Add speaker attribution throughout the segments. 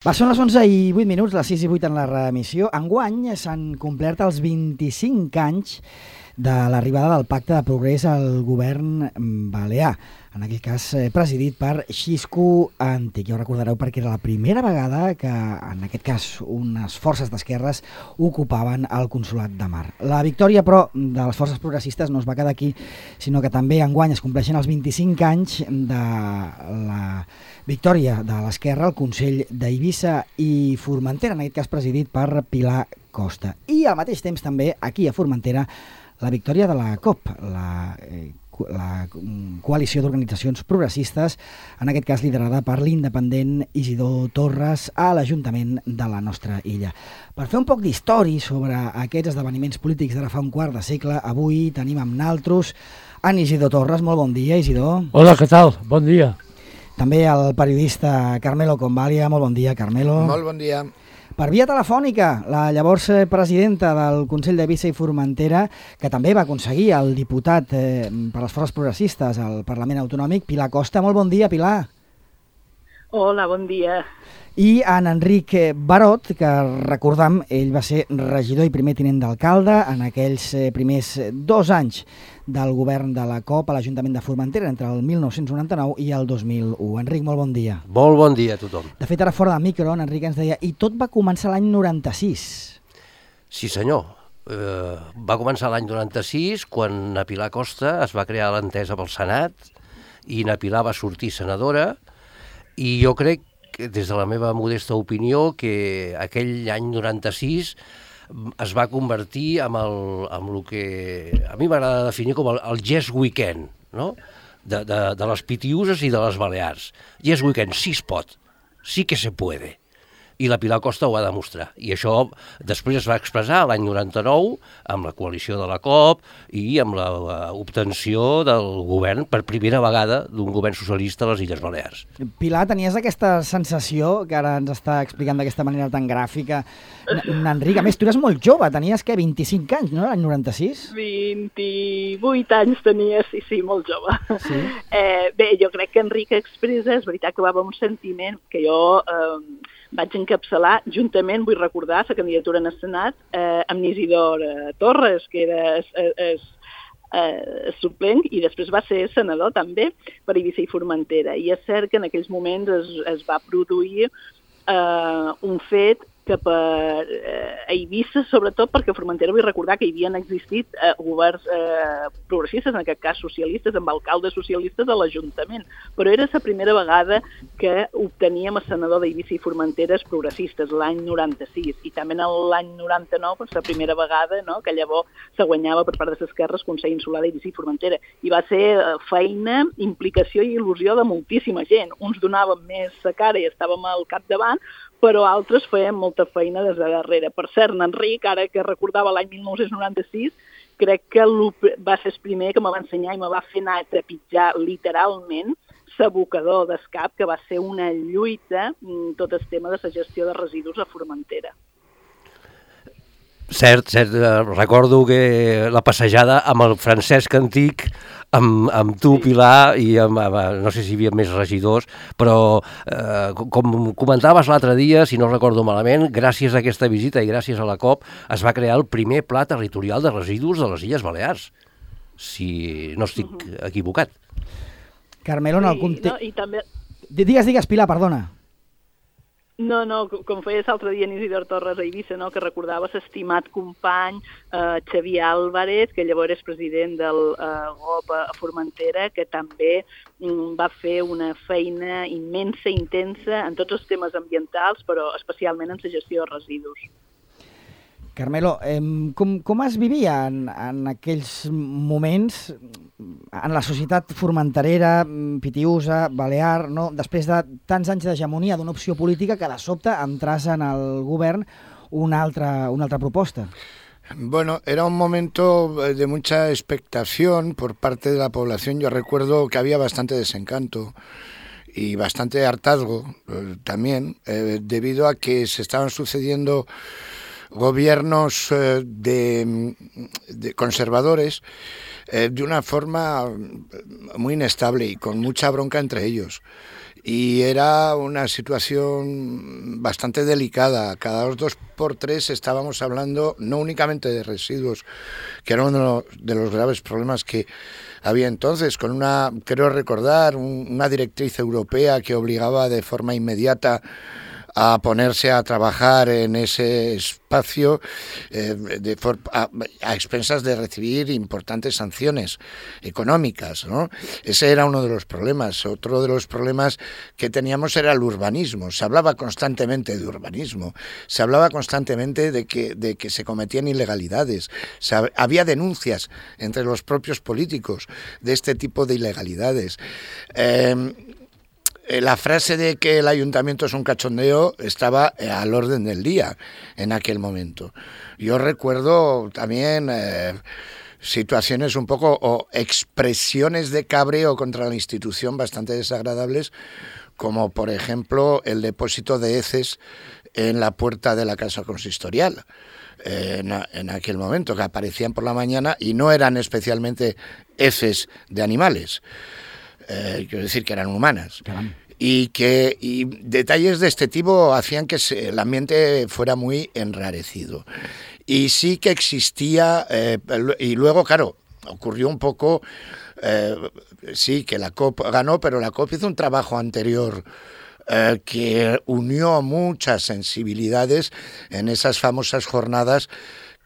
Speaker 1: Són les 11:08, les 6:08 en la reemissió. Enguany s'han complert els 25 anys de l'arribada del Pacte de Progrés al govern balear, en aquell cas presidit per Xisco Antic. Ja ho recordareu perquè era la primera vegada que, en aquest cas, unes forces d'esquerres ocupaven el Consolat de Mar. La victòria, però, de les forces progressistes no es va quedar aquí, sinó que també enguany es compleixen els 25 anys de la victòria de l'esquerra al Consell d'Eivissa i Formentera, en aquest cas presidit per Pilar Costa. I al mateix temps també, aquí a Formentera, la victòria de la COP, la coalició d'organitzacions progressistes, en aquest cas liderada per l'independent Isidor Torres a l'Ajuntament de la nostra illa. Per fer un poc d'història sobre aquests esdeveniments polítics d'ara fa un quart de segle, avui tenim amb naltros en Isidor Torres. Molt bon dia, Isidor.
Speaker 2: Hola, què tal? Bon dia.
Speaker 1: També el periodista Carmelo Convalia. Molt bon dia, Carmelo.
Speaker 3: Molt bon dia.
Speaker 1: Per via telefònica, la llavors presidenta del Consell d'Eivissa i Formentera, que també va aconseguir el diputat per les forces progressistes al Parlament Autonòmic, Pilar Costa. Molt bon dia, Pilar.
Speaker 4: Hola, bon dia.
Speaker 1: I en Enric Barot, que recordam, ell va ser regidor i primer tinent d'alcalde en aquells primers 2 anys del govern de la COP a l'Ajuntament de Formentera entre el 1999 i el 2001. Enric, molt bon dia.
Speaker 5: Molt bon dia a tothom.
Speaker 1: De fet, ara fora de micro, en Enric ens deia, i tot va començar l'any 96.
Speaker 5: Sí, senyor. Va començar l'any 96, quan a Pilar Costa es va crear l'entesa pel Senat i na Pilar va sortir senadora, i jo crec, des de la meva modesta opinió, que aquell any 96 es va convertir en el que a mi m'agrada definir com el Yes Weekend, no? de les Pitiüses i de les Balears. Yes Weekend, sí es pot, sí que se puede. I la Pilar Costa ho va demostrar. I això després es va expressar l'any 99 amb la coalició de la COP i amb l'obtenció del govern per primera vegada d'un govern socialista a les Illes Balears.
Speaker 1: Pilar, tenies aquesta sensació que ara ens està explicant d'aquesta manera tan gràfica Enric? A més, tu eres molt jove, tenies, 25 anys, no? L'any 96?
Speaker 4: 28 anys tenia, sí, molt jove.
Speaker 1: Sí?
Speaker 4: Bé, jo crec que Enric expressa, és veritat que va haver un sentiment que jo vaig encapçalar juntament, vull recordar, la candidatura en el Senat amb Isidor Torres, que era suplent, i després va ser senador també per Eivissa i Formentera. I és cert que en aquells moments es va produir un fet que per Eivissa, sobretot perquè a Formentera vull recordar que hi havien existit governs progressistes, en aquest cas socialistes, amb alcaldes socialistes a l'Ajuntament, però era la primera vegada que obteníem a senador d'Eivissa i Formenteres progressistes, l'any 96, i també l'any 99, la primera vegada, no?, que llavors se guanyava per part de l'esquerra el Consell Insular d'Eivissa i Formentera, i va ser feina, implicació i il·lusió de moltíssima gent. Uns donaven més la cara i estàvem al capdavant, però altres feien molta feina des de darrere. Per cert, Enric, ara que recordava l'any 1996, crec que va ser el primer que me va ensenyar i me va fer anar a trepitjar literalment l'abocador d'escap, que va ser una lluita, tot el tema de la gestió de residus a Formentera.
Speaker 5: Cert, recordo que la passejada amb el Francesc Antic, amb tu, Pilar, i no sé si hi havia més regidors, però com comentaves l'altre dia, si no recordo malament, gràcies a aquesta visita i gràcies a la COP es va crear el primer pla territorial de residus de les Illes Balears, si no estic equivocat.
Speaker 1: Carmelo, en el context...
Speaker 4: No, i també...
Speaker 1: Digues, Pilar, perdona.
Speaker 4: No, com feies l'altre dia en Isidor Torres a Eivissa, no?, que recordava l'estimat company Xavier Álvarez, que llavors és president del GOP a Formentera, que també va fer una feina immensa, intensa, en tots els temes ambientals, però especialment en la gestió de residus.
Speaker 1: Carmelo, com es vivia en aquells moments en la societat formenterera, pitiüsa, balear, no? Després de tants anys d'hegemonia d'una opció política que de sobte entràs en el govern una altra proposta?
Speaker 3: Bueno, era un momento de mucha expectación por parte de la población. Yo recuerdo que había bastante desencanto y bastante hartazgo también, debido a que se estaban sucediendo gobiernos de conservadores de una forma muy inestable y con mucha bronca entre ellos. y era una situación bastante delicada. Cada 2 por 3 estábamos hablando no únicamente de residuos, que era uno de los graves problemas que había entonces, con creo recordar, una directriz europea que obligaba de forma inmediata a ponerse a trabajar en ese espacio a expensas de recibir importantes sanciones económicas, ¿no? Ese era uno de los problemas. Otro de los problemas que teníamos era el urbanismo. Se hablaba constantemente de urbanismo, se hablaba constantemente de que se cometían ilegalidades. Había denuncias entre los propios políticos de este tipo de ilegalidades. La frase de que el ayuntamiento es un cachondeo estaba al orden del día en aquel momento. Yo recuerdo también situaciones un poco o expresiones de cabreo contra la institución bastante desagradables, como por ejemplo el depósito de heces en la puerta de la casa consistorial. En aquel momento, que aparecían por la mañana y no eran especialmente heces de animales. Quiero decir que eran humanas. Y detalles de este tipo hacían que el ambiente fuera muy enrarecido. Y sí que existía, y luego, claro, ocurrió un poco, sí, que la COP ganó, pero la COP hizo un trabajo anterior que unió muchas sensibilidades en esas famosas jornadas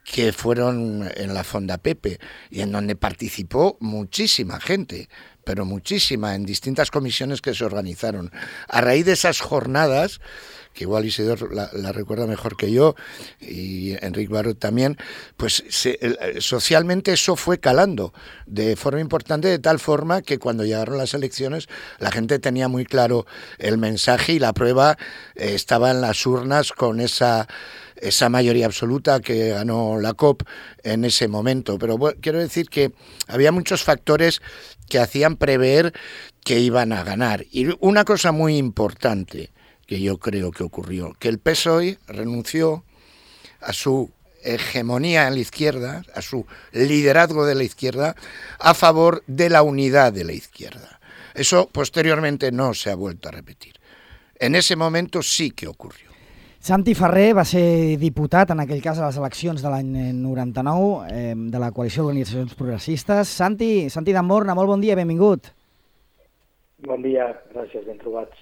Speaker 3: que fueron en la Fonda Pepe y en donde participó muchísima gente, pero muchísima, en distintas comisiones que se organizaron. A raíz de esas jornadas, que igual Isidor la recuerda mejor que yo, y Enric Barot también, pues socialmente eso fue calando de forma importante, de tal forma que cuando llegaron las elecciones la gente tenía muy claro el mensaje y la prueba estaba en las urnas con esa mayoría absoluta que ganó la COP en ese momento. Pero bueno, quiero decir que había muchos factores que hacían prever que iban a ganar. Y una cosa muy importante que yo creo que ocurrió, que el PSOE renunció a su hegemonía en la izquierda, a su liderazgo de la izquierda, a favor de la unidad de la izquierda. Eso posteriormente no se ha vuelto a repetir. En ese momento sí que ocurrió.
Speaker 1: Santi Ferrer va ser diputat, en aquell cas, a les eleccions de l'any 99 de la Coalició d'Organitzacions Progressistes. Santi D'Amborna, molt bon dia, benvingut.
Speaker 2: Bon dia, gràcies, ben trobats.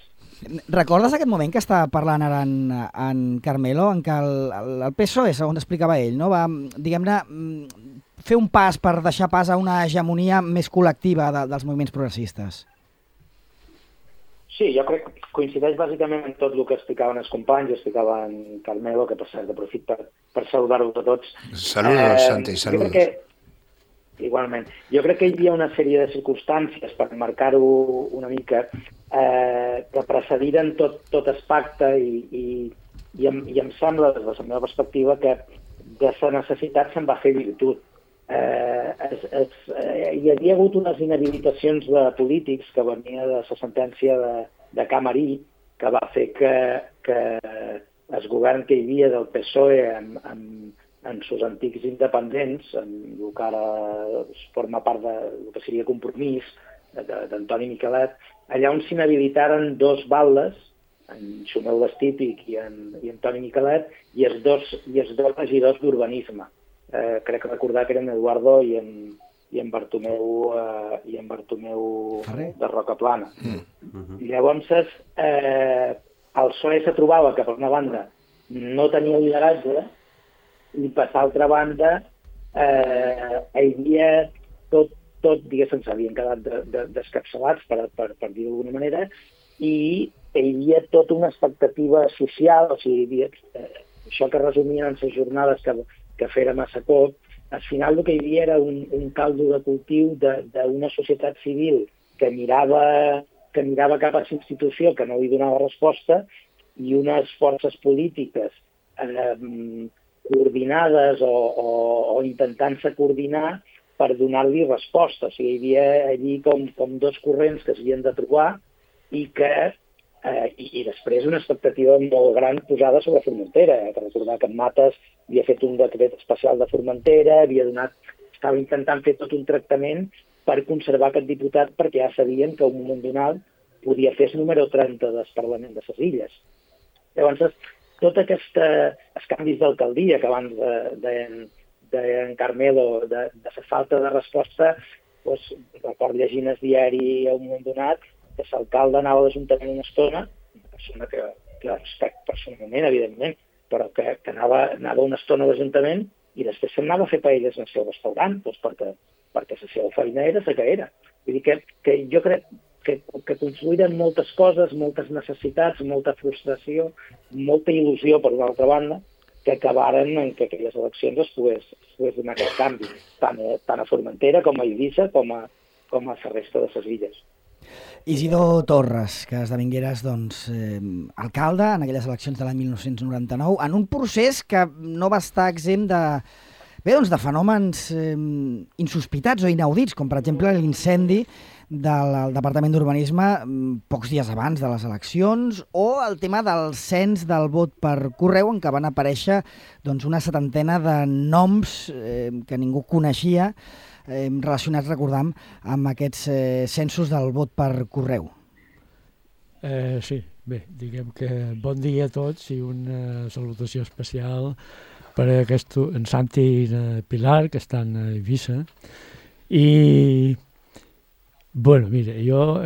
Speaker 1: Recordes aquest moment que està parlant ara en Carmelo, en què el PSOE, segons explicava ell, no? Va, diguem-ne, fer un pas per deixar pas a una hegemonia més col·lectiva dels moviments progressistes?
Speaker 2: Sí, jo crec que coincideix bàsicament en tot el que explicaven els companys, explicaven en Carmelo, que per cert aprofit per saludar-vos a tots.
Speaker 3: Saludos, Santi, saludos.
Speaker 2: Igualment. Jo crec que hi havia una sèrie de circumstàncies, per marcar-ho una mica, que precediren tot el pacte i em sembla, des de la meva perspectiva, que de la necessitat se'n va fer virtut. Hi havia hagut unes inhabilitacions de polítics que venia de la sentència de Camarí, que va fer que el govern que hi havia del PSOE en sus antics independents, en el que ara forma part del que seria Compromís, d'Antoni Miquelet, allà on s'inhabilitaren dos baldes, en Xumel Vestípic i Antoni Miquelet, i els dos regidors d'urbanisme. Crec recordar que eren Eduardo i en Bartomeu de Rocaplana. Llavors, el PSOE se trobava que, per una banda, no tenia lideratge, i per l'altra banda hi havia tot, diguéssim, s'havien quedat descapçalats, per dir-ho d'alguna manera, i hi havia tota una expectativa social, o sigui, això que resumien en les jornades que fèrem a Sacop, al final el que hi havia era un caldo de cultiu d'una societat civil que mirava cap a la institució que no li donava resposta i unes forces polítiques coordinades o intentant-se coordinar per donar-li resposta. O sigui, hi havia allí com dos corrents que s'havien de trobar i després una expectativa molt gran posada sobre Formentera. He de recordar que en Mates havia fet un decret especial de Formentera, estava intentant fer tot un tractament per conservar aquest diputat perquè ja sabien que a un moment donat podia fer el número 30 del Parlament de les Illes. Llavors, tots aquests canvis d'alcaldia que abans deien Carmelo, de la falta de resposta, doncs, record llegint el diari a un moment donat, que l'alcalde anava a l'Ajuntament una estona, una persona que respecte personalment, evidentment, però que anava una estona a l'Ajuntament i després se'n anava a fer paelles en el seu restaurant, doncs perquè la seva feina era la que era. Vull dir que jo crec que confluïren moltes coses, moltes necessitats, molta frustració, molta il·lusió, per una altra banda, que acabaren en que aquelles eleccions es pogués donar aquest canvi, tant a Formentera com a Eivissa com a la resta de les illes.
Speaker 1: Isidor Torres, que esdevingueres alcalde en aquelles eleccions de l'any 1999, en un procés que no va estar exempt de fenòmens insospitats o inaudits, com per exemple l'incendi del Departament d'Urbanisme pocs dies abans de les eleccions, o el tema del cens del vot per correu, en què van aparèixer una setantena de noms que ningú coneixia, relacionats, recordam, amb aquests censos del vot per correu.
Speaker 6: Sí, bé, diguem que bon dia a tots i una salutació especial per a en Santi i en Pilar, que estan a Eivissa. I, bueno, mira, jo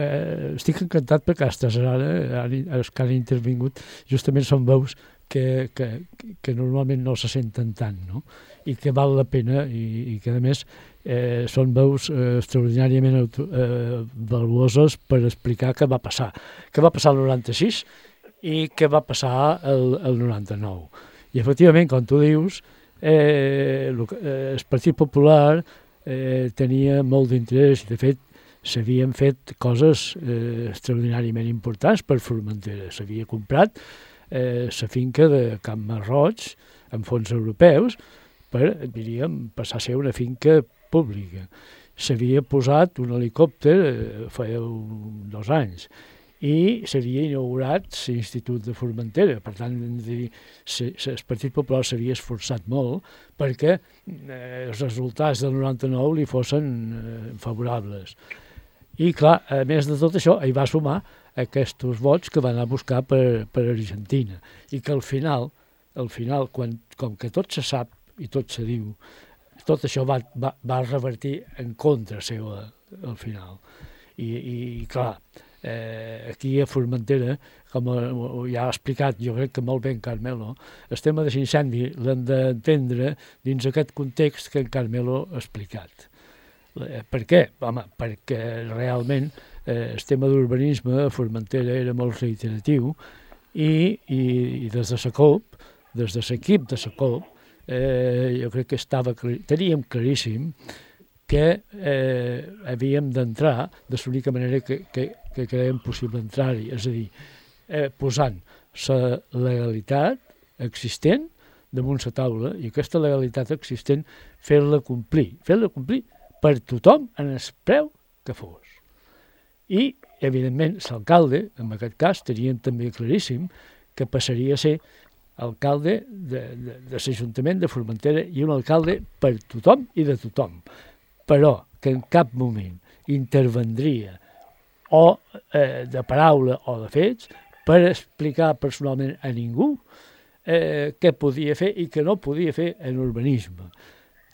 Speaker 6: estic encantat perquè aquestes els que han intervingut justament són veus que normalment no se senten tant, no? I que val la pena i que, a més, són veus extraordinàriament valuoses per explicar què va passar. Què va passar el 96 i què va passar el 99. I, efectivament, com tu dius, el Partit Popular tenia molt d'interès i, de fet, s'havien fet coses extraordinàriament importants per Formentera. S'havia comprat la finca de Camp Marroig amb fons europeus per, diríem, passar a ser una finca pública. S'havia posat un helicòpter feia 2 anys i s'havia inaugurat l'Institut de Formentera. Per tant, el Partit Popular s'havia esforçat molt perquè els resultats del 99 li fossin favorables. I, clar, a més de tot això, hi va sumar aquests vots que van anar a buscar per Argentina. I que al final, com que tot se sap i tot se diu, tot això va revertir en contra seu al final. I clar, aquí a Formentera, com ja ha explicat, jo crec que molt bé en Carmelo, el tema de l'incendi l'hem d'entendre dins aquest context que en Carmelo ha explicat. Per què? Home, perquè realment el tema d'urbanisme a Formentera era molt reiteratiu i des de la COP, des de l'equip de la COP, jo crec que teníem claríssim que havíem d'entrar de l'única manera que creiem possible entrar-hi, és a dir, posant la legalitat existent damunt la taula i aquesta legalitat existent fer-la complir per tothom en el preu que fos. I, evidentment, l'alcalde, en aquest cas, teníem també claríssim que passaria a ser alcalde de l'Ajuntament de Formentera i un alcalde per tothom i de tothom, però que en cap moment intervendria o de paraula o de fets per explicar personalment a ningú què podia fer i què no podia fer en urbanisme.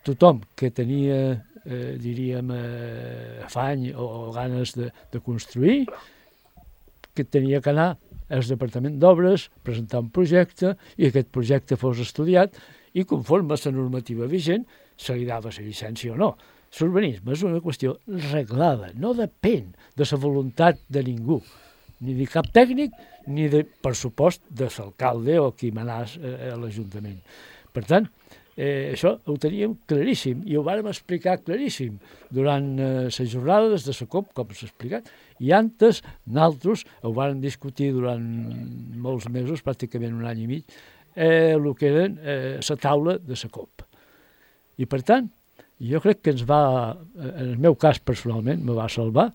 Speaker 6: Tothom que tenia diríem, afany o ganes de construir, que tenia que anar al Departament d'Obres, presentar un projecte i aquest projecte fos estudiat i conforme a la normativa vigent se li dava la llicència o no. L'urbanisme és una qüestió reglada, no depèn de la voluntat de ningú, ni de cap tècnic ni, per supost, de l'alcalde o qui manàs a l'Ajuntament. Per tant, això ho teníem claríssim i ho vàrem explicar claríssim durant les jornades de la COP, com s'ha explicat, i antes nosaltres ho vàrem discutir durant molts mesos, pràcticament 1 any i mig, el que era la taula de la COP. I per tant, jo crec que ens va, en el meu cas personalment, me va salvar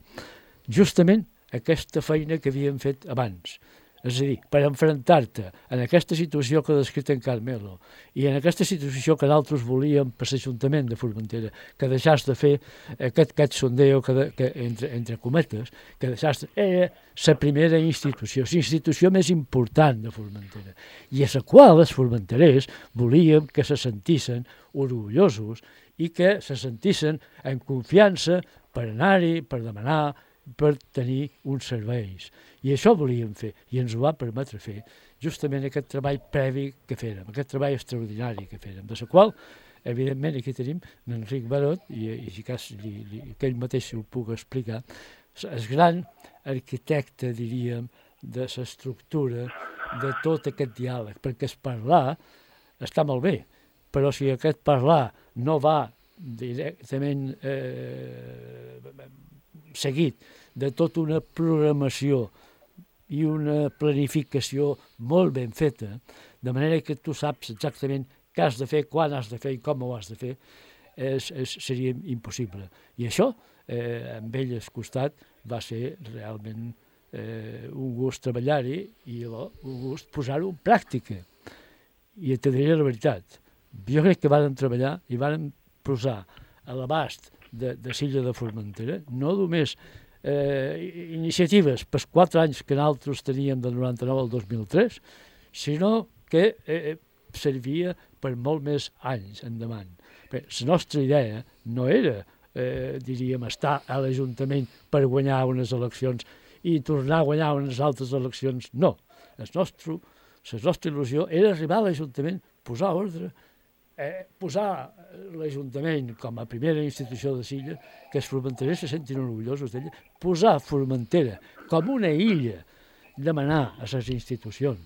Speaker 6: justament aquesta feina que havíem fet abans. És a dir, per enfrontar-te en aquesta situació que ha descrit en Carmelo i en aquesta situació que d'altres volíem per l'Ajuntament de Formentera, que deixàs de fer aquest sondeo que entre cometes, que deixàs era la primera institució, la institució més important de Formentera, i a la qual els formenterers volíem que se sentissin orgullosos i que se sentissin en confiança per anar-hi, per demanar, per tenir uns serveis. I això volíem fer, i ens ho va permetre fer justament aquest treball previ que fèrem, aquest treball extraordinari que fèrem, de la qual, evidentment, aquí tenim l'Enric Barot, i si cas que ell mateix ho puc explicar, el gran arquitecte, diríem, de l'estructura de tot aquest diàleg, perquè el parlar està molt bé, però si aquest parlar no va directament seguit de tota una programació i una planificació molt ben feta, de manera que tu saps exactament què has de fer, quan has de fer i com ho has de fer, seria impossible. I això, amb ell al costat, va ser realment un gust treballar-hi i un gust posar-ho en pràctica. I te diré la veritat, jo crec que vàrem treballar i vàrem posar a l'abast de l'illa de Formentera, no només iniciatives per 4 anys que nosaltres teníem del 99 al 2003, sinó que servia per molt més anys endavant. Bé, la nostra idea no era, diríem, estar a l'Ajuntament per guanyar unes eleccions i tornar a guanyar unes altres eleccions, no. La nostra il·lusió era arribar a l'Ajuntament, posar ordre, posar l'Ajuntament com a primera institució de l'illa, que els formenterers se sentin orgullosos d'ella, posar Formentera com una illa, demanar a les institucions.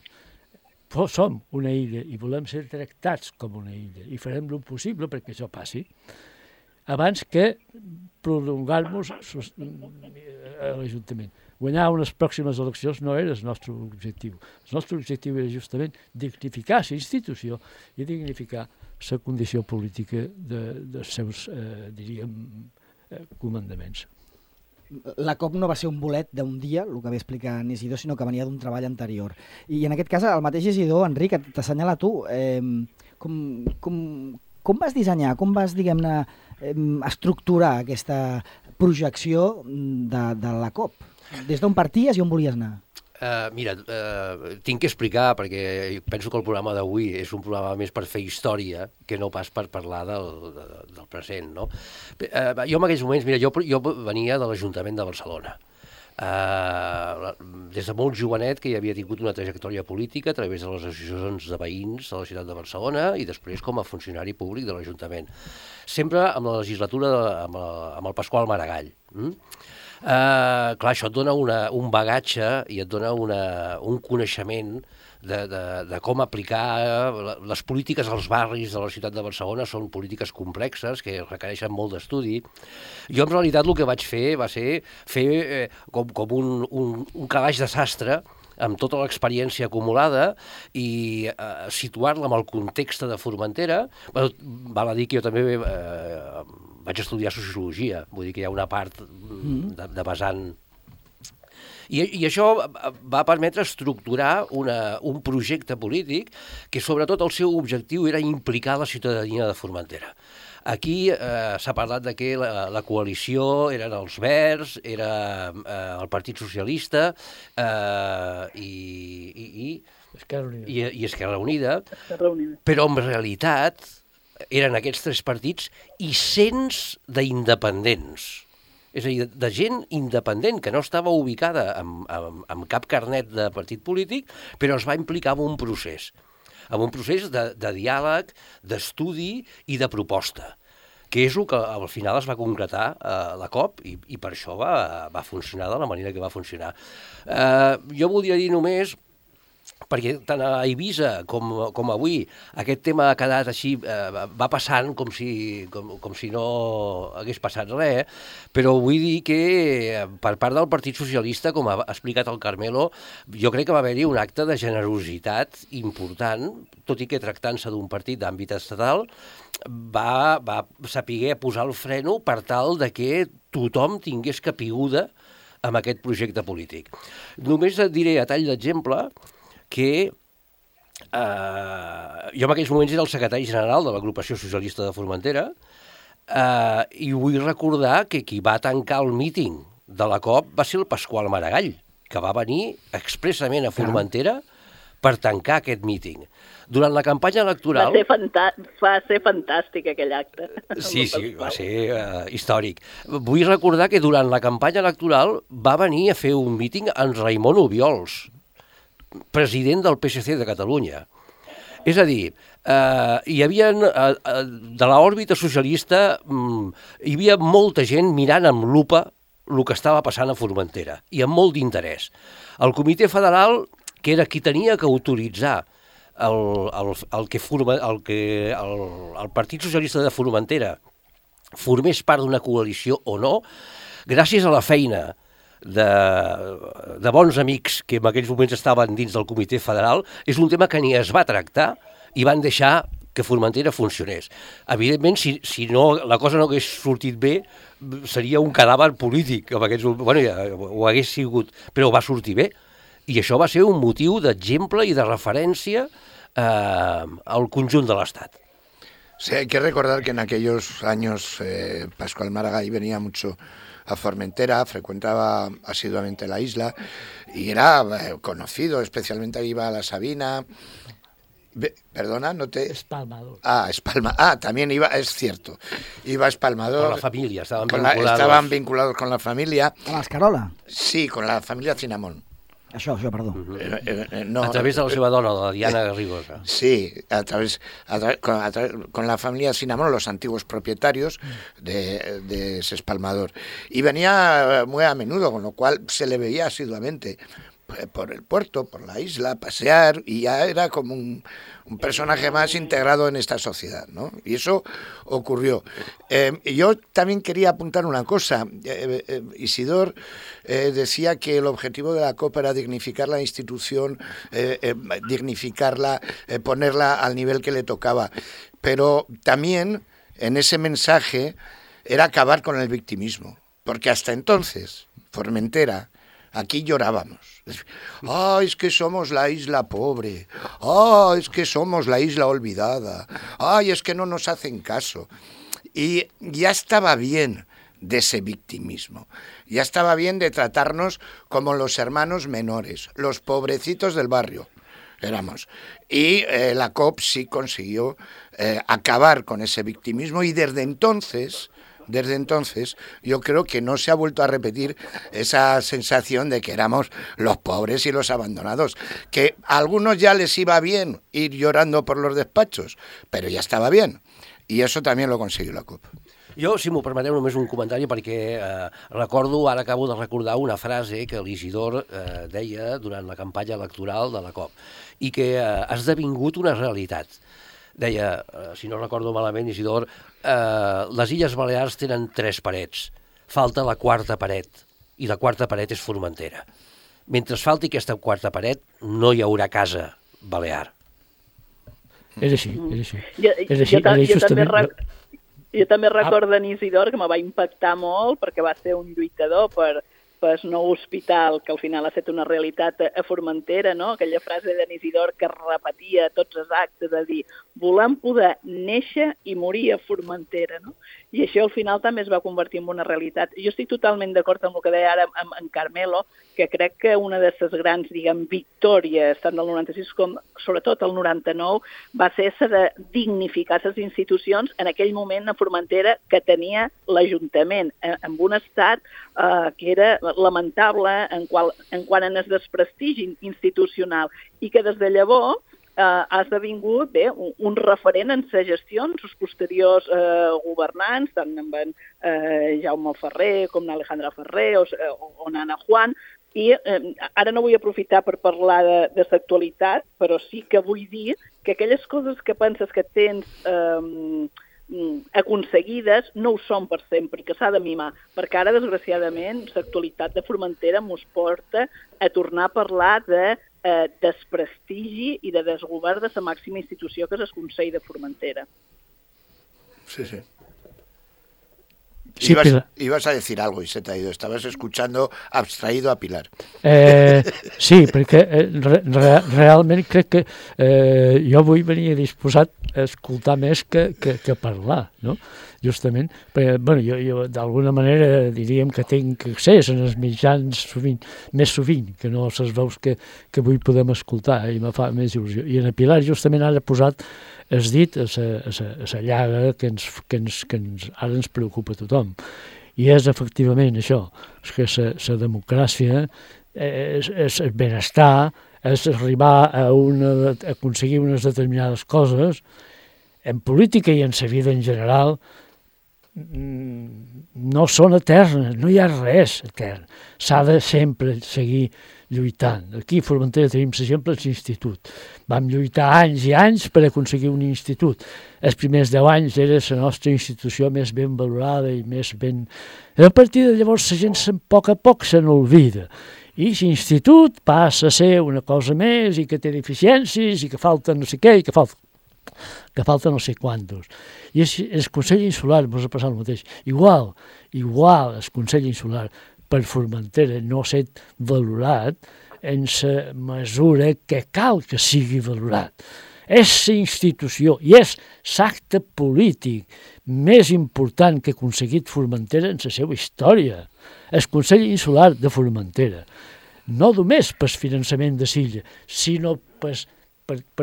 Speaker 6: Som una illa i volem ser tractats com una illa i farem el possible perquè això passi abans que prolongar-nos a l'Ajuntament. Guanyar unes pròximes eleccions no era el nostre objectiu. El nostre objectiu era justament dignificar la institució i dignificar la condició política dels seus, diríem, comandaments.
Speaker 1: La COP no va ser un bolet d'un dia, el que va explicar en Isidor, sinó que venia d'un treball anterior. I en aquest cas, el mateix Isidor, Enric, t'assenyala tu, com vas dissenyar, com vas, diguem-ne, estructurar aquesta projecció de la COP? Des d'on parties i on volies anar?
Speaker 5: Mira, tinc que explicar, perquè penso que el programa d'avui és un programa més per fer història que no pas per parlar del present, no? Jo en aquells moments, mira, jo venia de l'Ajuntament de Barcelona. Des de molt jovenet que hi havia tingut una trajectòria política a través de les associacions de veïns de la ciutat de Barcelona i després com a funcionari públic de l'Ajuntament. Sempre amb la legislatura amb el Pasqual Maragall. Clar, això et dona un bagatge i et dona un coneixement de com aplicar les polítiques als barris de la ciutat de Barcelona. Són polítiques complexes que requereixen molt d'estudi. Jo en realitat el que vaig fer va ser fer com un calaix de sastre amb tota l'experiència acumulada i situar-la en el context de Formentera. Val a dir que jo també vaig estudiar sociologia, vull dir que hi ha una part de vessant. I això va permetre estructurar un projecte polític que sobretot el seu objectiu era implicar la ciutadania de Formentera. Aquí s'ha parlat de que la coalició eren els Verds, era el Partit Socialista i Esquerra Unida, però en realitat eren aquests 3 partits i cents d'independents. És a dir, de gent independent que no estava ubicada amb cap carnet de partit polític, però es va implicar en un procés de diàleg, d'estudi i de proposta, que és el que al final es va concretar a la COP i per això va funcionar de la manera que va funcionar. Jo voldria dir només, perquè tant a Eivissa com avui aquest tema ha quedat així, va passant com si no hagués passat res, però vull dir que per part del Partit Socialista, com ha explicat el Carmelo, jo crec que va haver-hi un acte de generositat important, tot i que tractant-se d'un partit d'àmbit estatal, va saber posar el freno per tal de que tothom tingués capiguda amb aquest projecte polític. Només et diré a tall d'exemple que jo en aquells moments era el secretari general de l'Agrupació Socialista de Formentera i vull recordar que qui va tancar el míting de la COP va ser el Pasqual Maragall, que va venir expressament a Formentera per tancar aquest míting. Durant la campanya electoral...
Speaker 4: Va ser fantàstic aquell acte.
Speaker 5: Sí, va ser històric. Vull recordar que durant la campanya electoral va venir a fer un míting en Raimon Obiols, president del PSC de Catalunya. És a dir, hi havia, de l'òrbita socialista, hi havia molta gent mirant amb lupa el que estava passant a Formentera, i amb molt d'interès. El Comitè Federal, que era qui tenia que autoritzar el Partit Socialista de Formentera formés part d'una coalició o no, gràcies a la feina de bons amics que en aquells moments estaven dins del Comitè Federal, és un tema que ni es va tractar i van deixar que Formentera funcionés. Evidentment, si no, la cosa no hagués sortit bé, seria un cadàver polític. Ho hagués sigut, però va sortir bé. I això va ser un motiu d'exemple i de referència al conjunt de l'Estat.
Speaker 3: Sí, hay que recordar que en aquellos años Pascual Maragall venía mucho a Formentera, frecuentaba asiduamente la isla y era conocido, especialmente ahí iba a la Sabina. Perdona, no te...
Speaker 6: Espalmador.
Speaker 3: También iba, es cierto. Iba a Espalmador.
Speaker 5: Con la familia,
Speaker 3: estaban vinculados con la familia.
Speaker 1: ¿A l'Escarola?
Speaker 3: Sí, con la familia Cinamón.
Speaker 1: Això, perdó.
Speaker 3: No,
Speaker 5: a través de la seva dona, la Diana Garrigosa.
Speaker 3: Sí, con la familia Cinamón, los antiguos propietarios de ese espalmador. Y venía muy a menudo, con lo cual se le veía asiduamente por el puerto, por la isla, pasear, y ya era como un personaje más integrado en esta sociedad, ¿no? Y eso ocurrió. Yo también quería apuntar una cosa. Isidor decía que el objetivo de la COP era dignificar la institución, dignificarla, ponerla al nivel que le tocaba. Pero también en ese mensaje era acabar con el victimismo, porque hasta entonces, Formentera, aquí llorábamos. ¡Ay, es que somos la isla pobre! ¡Ay, es que somos la isla olvidada! ¡Ay, es que no nos hacen caso! Y ya estaba bien de ese victimismo. Ya estaba bien de tratarnos como los hermanos menores, los pobrecitos del barrio éramos. Y la COP sí consiguió acabar con ese victimismo y desde entonces yo creo que no se ha vuelto a repetir esa sensación de que éramos los pobres y los abandonados, que a algunos ya les iba bien ir llorando por los despachos, però ja estava bien, i eso també lo consiguió la COP.
Speaker 5: Jo, si m'ho permeteu, només un comentari, perquè ara acabo de recordar una frase que l'Isidor deia durant la campanya electoral de la COP, i que ha esdevingut una realitat. Deia, si no recordo malament, Isidor, les Illes Balears tenen 3 parets, falta la 4ª paret, i la 4ª paret és Formentera. Mentre falti aquesta 4ª paret, no hi haurà casa balear.
Speaker 6: És així.
Speaker 4: Jo també recordo en Isidor, que me va impactar molt, perquè va ser un lluitador per nou hospital, que al final ha estat una realitat a Formentera, no? Aquella frase d'en Isidor que repetia tots els actes, de dir, volem poder néixer i morir a Formentera, no? I això al final també es va convertir en una realitat. Jo estic totalment d'acord amb el que deia ara en Carmelo, que crec que una de les grans, victòries, tant del 96 com sobretot el 99, va ser de dignificar les institucions en aquell moment a Formentera que tenia l'Ajuntament, amb un estat que era lamentable en quant a el desprestigi institucional i que des de llavors ha esdevingut un referent en les gestions, els posteriors governants, tant amb en Jaume Ferrer com n'Alejandra Ferrer o n'Anna Juan, i ara no vull aprofitar per parlar de l'actualitat, però sí que vull dir que aquelles coses que penses que tens aconseguides no ho són per sempre, que s'ha de mimar, perquè ara, desgraciadament, l'actualitat de Formentera mos porta a tornar a parlar de desprestigi i de desgovern de la màxima institució que és el Consell de Formentera.
Speaker 3: Sí.
Speaker 6: Sí,
Speaker 3: ibas a decir algo y se te ha ido. Estabas escuchando abstraído a Pilar.
Speaker 6: Sí, perquè realment crec que jo avui venia disposat a escoltar més que parlar, no? Justament, perquè jo d'alguna manera diríem que tinc accés als mitjans més sovint, que no les veus que avui podem escoltar, i me fa més il·lusió. I en Pilar justament ara ha posat has dit a la llaga que ara ens preocupa a tothom. I és efectivament això, és que la democràcia és el benestar, és arribar a aconseguir unes determinades coses, en política i en la vida en general, no són eternes, no hi ha res etern. S'ha de sempre seguir lluitant. Aquí a Formentera tenim l'exemple de l'institut. Vam lluitar anys i anys per aconseguir un institut. Els primers 10 anys era la nostra institució més ben valorada i més ben... A partir de llavors la gent a poc se n'olvida. I l'institut passa a ser una cosa més i que té deficiències i que falta no sé què i que falta no sé quantos. I el Consell Insular vos ha passat el mateix. Igual el Consell Insular per Formentera no s'ha valorat en la mesura que cal que sigui valorat. És la institució i és l'acte polític més important que ha aconseguit Formentera en la seva història. El Consell Insular de Formentera. No només pel finançament de l'illa, sinó per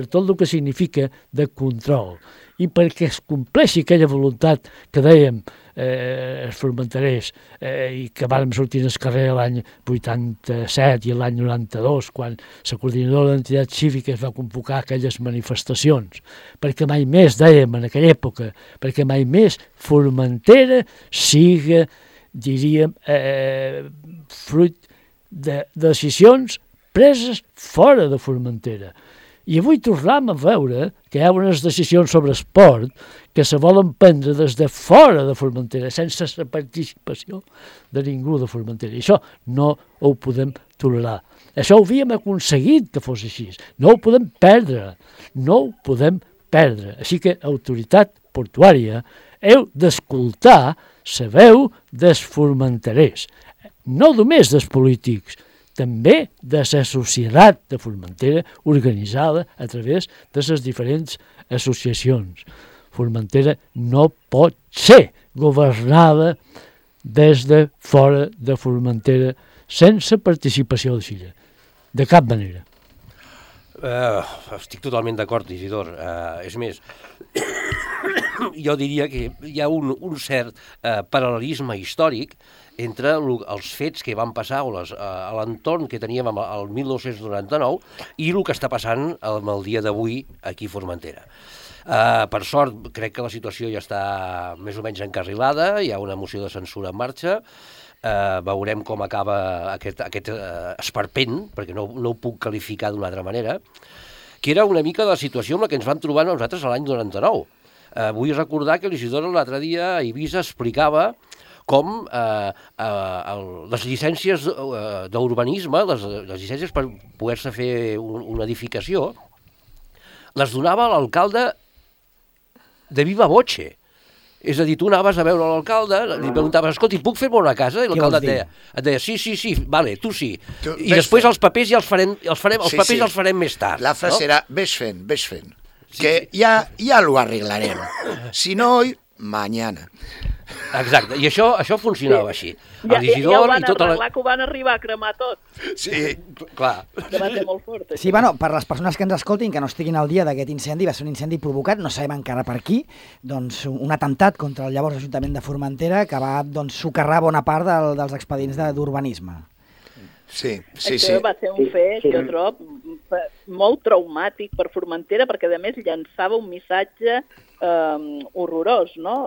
Speaker 6: tot el que significa de control i perquè es compleixi aquella voluntat que dèiem els formenterers i que vàrem sortir al carrer l'any 87 i l'any 92 quan la coordinadora d'entitats cíviques va convocar aquelles manifestacions, perquè mai més, dèiem en aquella època, perquè mai més Formentera siga, diríem, fruit de decisions preses fora de Formentera. I avui tornem a veure que hi ha unes decisions sobre esport que se volen prendre des de fora de Formentera, sense la participació de ningú de Formentera. I això no ho podem tolerar. Això ho havíem aconseguit que fos així. No ho podem perdre. Així que, autoritat portuària, heu d'escoltar la veu dels formenterers, no només dels polítics, també de la societat de Formentera organitzada a través de les diferents associacions. Formentera no pot ser governada des de fora de Formentera sense participació de l'illa. De cap manera.
Speaker 5: Estic totalment d'acord, Isidor. És més, jo diria que hi ha un cert paral·lelisme històric entre els fets que van passar a l'entorn que teníem el 1999 i el que està passant el dia d'avui aquí a Formentera. Per sort, crec que la situació ja està més o menys encarrilada, hi ha una moció de censura en marxa, veurem com acaba aquest esperpent, perquè no ho puc qualificar d'una altra manera, que era una mica la situació amb la que ens vam trobar nosaltres l'any 99. Vull recordar que l'Isidor l'altre dia a Eivissa explicava com les llicències d'urbanisme, les llicències per poder-se fer una edificació, les donava l'alcalde de viva voce. És a dir, tu anaves a veure l'alcalde, li preguntaves, escolta, puc fer-me una casa? I l'alcalde et deia, sí, vale, tu sí. I després els papers ja els farem més tard.
Speaker 3: La frase era, ves fent, que ya lo arreglarem. Si no hoy, mañana.
Speaker 5: Exacte, i això funcionava així.
Speaker 4: Ja ho van arreglar, que ho van arribar a cremar tot.
Speaker 5: Sí, clar.
Speaker 4: Va ser molt fort.
Speaker 1: Sí, bueno, per les persones que ens escoltin, que no estiguin al dia d'aquest incendi, va ser un incendi provocat, no sabem encara per qui, doncs un atemptat contra el llavors Ajuntament de Formentera que va socarrar bona part dels expedients d'urbanisme.
Speaker 3: Sí.
Speaker 4: Això va ser un fet, jo trobo, molt traumàtic per Formentera, perquè a més llançava un missatge horrorós, no?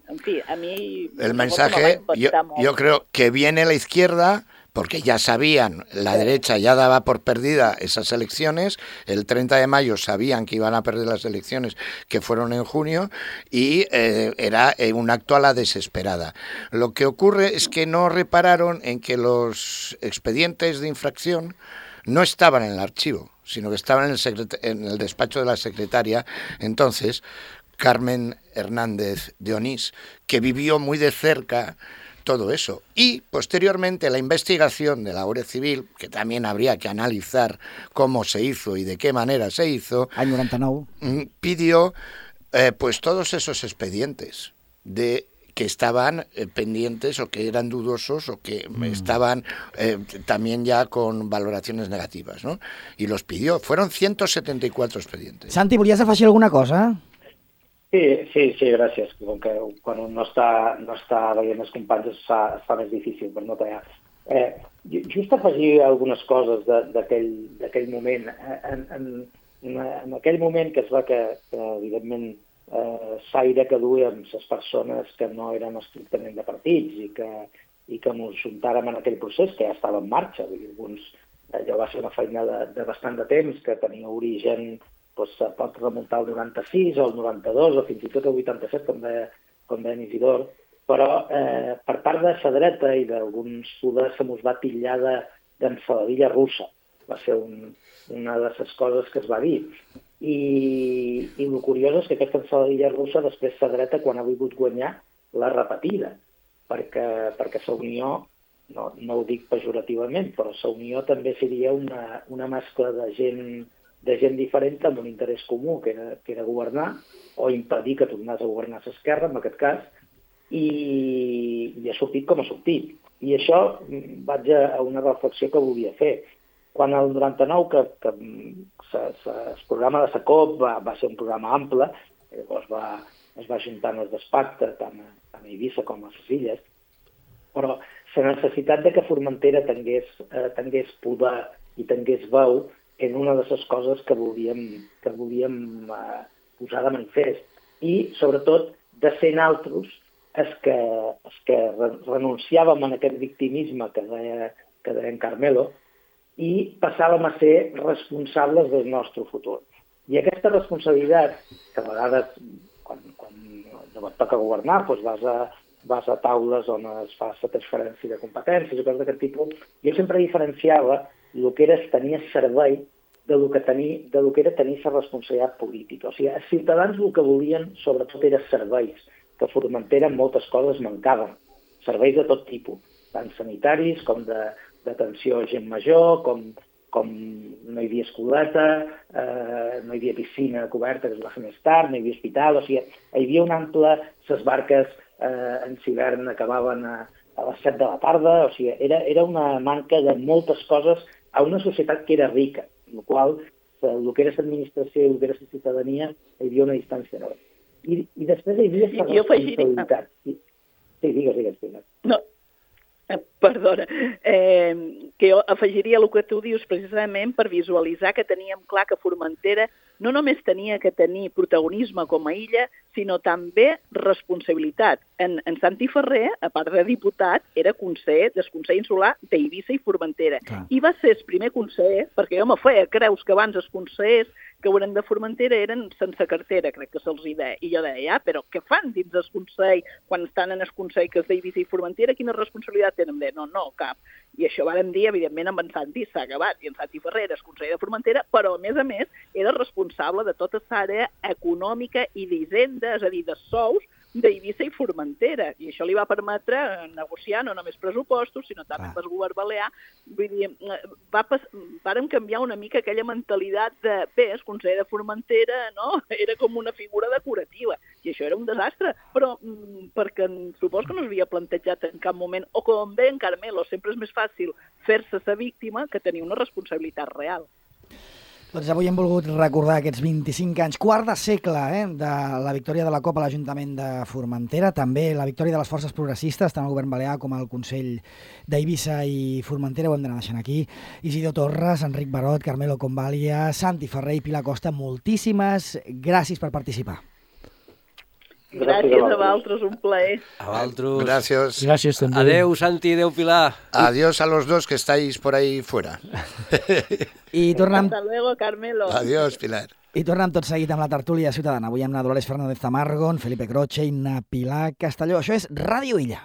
Speaker 4: En fin, a mí...
Speaker 3: El mensaje, yo creo que viene la izquierda, porque ya sabían, la derecha ya daba por perdida esas elecciones, el 30 de mayo sabían que iban a perder las elecciones que fueron en junio, y era un acto a la desesperada. Lo que ocurre es que no repararon en que los expedientes de infracción no estaban en el archivo, sino que estaban en el despacho de la secretaria. Entonces, Carmen Hernández de Onís, que vivió muy de cerca todo eso. Y posteriormente la investigación de la Guardia Civil, que también habría que analizar cómo se hizo y de qué manera se hizo,
Speaker 1: Any 99.
Speaker 3: pidió pues todos esos expedientes que estaban pendientes o que eran dudosos o que estaban también ya con valoraciones negativas, ¿no? Y los pidió. Fueron 174 expedientes.
Speaker 1: Santi, volies afegir alguna cosa?
Speaker 2: Sí, gràcies. Com que quan un no està veient els companys es fa més difícil per no tallar. Just afegir algunes coses d'aquell moment. En aquell moment que es va que evidentment, l'aire que duíem les persones que no eren estrictament de partits i que ens juntàrem en aquell procés que ja estava en marxa. Allò va ser una feina de bastant de temps que tenia origen, pot remuntar al 96 o al 92 o fins i tot al 87, com deia Isidor, però per part de la dreta i d'alguns poders se mos va titllar d'ensaladilla russa. Va ser una de les coses que es va dir. I el curiós és que aquesta ensaladilla russa després la dreta, quan ha volgut guanyar, l'ha repetida, perquè la Unió, no ho dic pejorativament, però la Unió també seria una mescla de gent diferent amb un interès comú, que era governar, o impedir que tornés a governar l'esquerra, en aquest cas, i ha sortit com ha sortit. I això vaig a una reflexió que volia fer. Quan el 99, que el programa de la COP va ser un programa ample, llavors es va juntar en els despactes, tant a Eivissa com a les Illes, però la necessitat de que Formentera tingués poder i tingués veu en una de les coses que volíem posar de manifest. I, sobretot, de ser naltros els que renunciàvem a aquest victimisme que deia en Carmelo i passàvem a ser responsables del nostre futur. I aquesta responsabilitat, que a vegades, quan et toca governar, vas a taules on es fa la transferència de competències o coses d'aquest tipus, jo sempre diferenciava el que era tenir servei del que era tenir la responsabilitat política. O sigui, els ciutadans el que volien, sobretot, eren serveis, que a Formentera moltes coses mancaven. Serveis de tot tipus, tant sanitaris com d'atenció a gent major, com no hi havia escoleta, no hi havia piscina coberta, que es va fer més tard, no hi havia hospital, o sigui, hi havia un ample, les barques en hivern acabaven a les 7 de la tarda, o sigui, era una manca de moltes coses a una societat que era rica, en la qual el que era l'administració i el que era la ciutadania hi havia una distància enorme. I després hi havia la responsabilitat. Sí, digues, Pilar.
Speaker 4: No, perdona, que jo afegiria el que tu dius precisament per visualitzar que teníem clar que Formentera no només tenia que tenir protagonisme com a illa, sinó també responsabilitat. En Santi Ferrer, a part de diputat, era conseller del Consell Insular d'Eivissa i Formentera. I va ser el primer conseller, perquè jo me feia creus que abans els consellers que eren de Formentera eren sense cartera, crec que se'ls deia. I jo deia, però què fan dins del Consell, quan estan en el Consell que és d'Eivissa i Formentera, quina responsabilitat tenen? No, cap. I això vàrem dir, evidentment, amb en Santi s'ha acabat, i en Santi Ferrer és conseller de Formentera, però, a més, era responsable de tota l'àrea econòmica i d'hisenda, és a dir, de sous, d'Eivissa i Formentera, i això li va permetre negociar no només pressupostos, sinó també amb el govern balear. Vull dir, vàrem canviar una mica aquella mentalitat de, bé, el conseller de Formentera, no?, era com una figura decorativa, i això era un desastre, però perquè suposo que no s'havia plantejat en cap moment, o com bé en Carmelo, sempre és més fàcil fer-se la víctima que tenir una responsabilitat real.
Speaker 1: Doncs avui hem volgut recordar aquests 25 anys, quart de segle, de la victòria de la COP a l'Ajuntament de Formentera, també la victòria de les forces progressistes, tant al govern balear com al Consell d'Eivissa i Formentera, ho hem d'anar deixant aquí. Isidor Torres, Enric Barot, Carmelo Convalia, Santi Ferrer i Pilar Costa, moltíssimes gràcies per participar.
Speaker 4: Gràcies a vosaltres, un plaer.
Speaker 5: A vosaltres.
Speaker 3: Gracias.
Speaker 6: Gràcies també.
Speaker 5: Adeu, Santi, adeu, Pilar.
Speaker 3: Adiós a los dos que estáis por ahí fuera.
Speaker 1: I tornem...
Speaker 4: Hasta luego, Carmelo.
Speaker 3: Adiós, Pilar.
Speaker 1: I tornem tot seguit amb la tertúlia ciutadana. Avui amb na Dolores Fernández Tamargon, Felipe Croce i na Pilar Castelló. Això és Ràdio Illa.